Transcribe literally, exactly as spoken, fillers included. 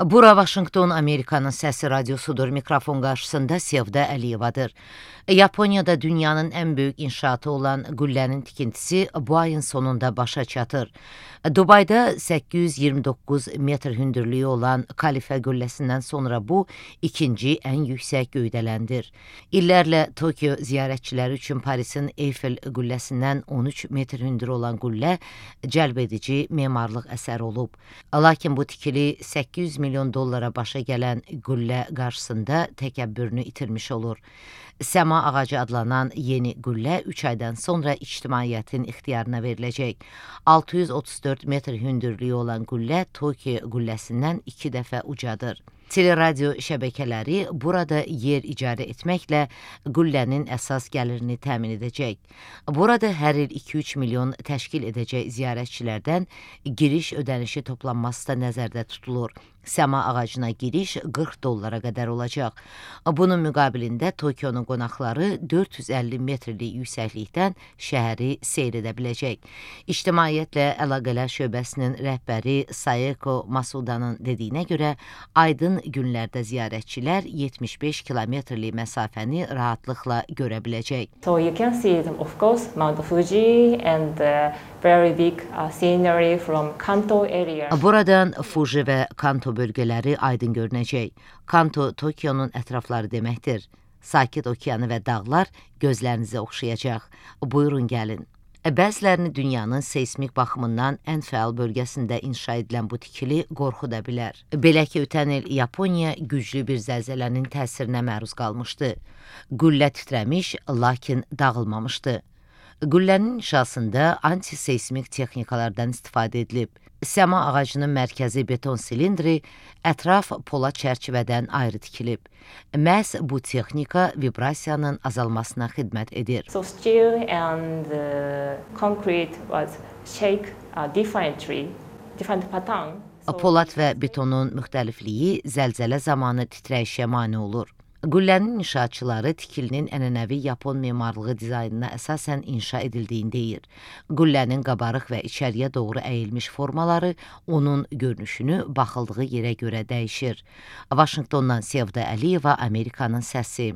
Bura Vaşinqton, Amerikanın səsi radiosudur. Mikrofon qarşısında Sevda Əliyevadır. Yaponiyada dünyanın ən böyük inşaatı olan qüllənin tikintisi bu ayın sonunda başa çatır. Dubayda səkkiz yüz iyirmi doqquz metr hündürlüyü olan Kalifə qülləsindən sonra bu ikinci ən yüksək göydələndir. İllərlə Tokyo ziyarətçiləri üçün Parisin Eyfel qülləsindən on üç metr hündür olan qüllə cəlb edici memarlıq əsəri olub. Lakin bu tikili səkkiz yüz milyon dollara başa gələn qüllə qarşısında təkəbbürünü itirmiş olur. Səma ağacı adlanan yeni qüllə üç aydan sonra ictimaiyyətin ixtiyarına veriləcək. altı yüz otuz dörd metr hündürlüyü olan qüllə Tokyo qülləsindən iki dəfə ucadır. Teleradio şəbəkələri burada yer icarə etməklə qüllənin əsas gəlirini təmin edəcək. Burada hər il iki üç milyon təşkil edəcək ziyarətçilərdən giriş ödənişi toplanması da nəzərdə tutulur. Səma ağacına giriş qırx dollara qədər olacaq. Bunun müqabilində Tokionun qonaqları dörd yüz əlli metrlik yüksəklikdən şəhəri seyr edə biləcək. İctimaiyyətlə əlaqələr şöbəsinin rəhbəri Sayeko Masudanın dediyinə görə, aydın günlərdə ziyarətçilər yetmiş beş kilometrlik məsafəni rahatlıqla görə biləcək. So you can see, of course, Mount Fuji and the very big uh, scenery from Kanto area. Buradan Fuji və Kanto bölgələri aydın görünəcək. Kanto Tokionun ətrafları deməkdir. Sakit okeanı və dağlar gözlərinizə oxşayacaq. Buyurun gəlin. Bəzilərini dünyanın seismik baxımından ən fəal bölgəsində inşa edilən bu tikili qorxuda bilər. Belə ki, ötən il Yaponiya güclü bir zəlzələnin təsirinə məruz qalmışdı. Qüllə titrəmiş, lakin dağılmamışdı. Qüllənin inşasında antiseismik texnikalardan istifadə edilib. Səma ağacının mərkəzi beton silindri ətraf polad çərçivədən ayrı tikilib. Məhz bu texnika vibrasiyanın azalmasına xidmət edir. So steel and uh, concrete was shake uh, differently, different pattern. So Polad və betonun müxtəlifliyi zəlzələ zamanı titrəyişə mane olur. Qüllənin inşaatçıları tikilinin ənənəvi Yapon memarlığı dizaynına əsasən inşa edildiyini deyir. Qüllənin qabarıq və içəriyə doğru əyilmiş formaları onun görünüşünü baxıldığı yerə görə dəyişir. Vaşinqtondan Sevda Əliyeva, Amerikanın səsi.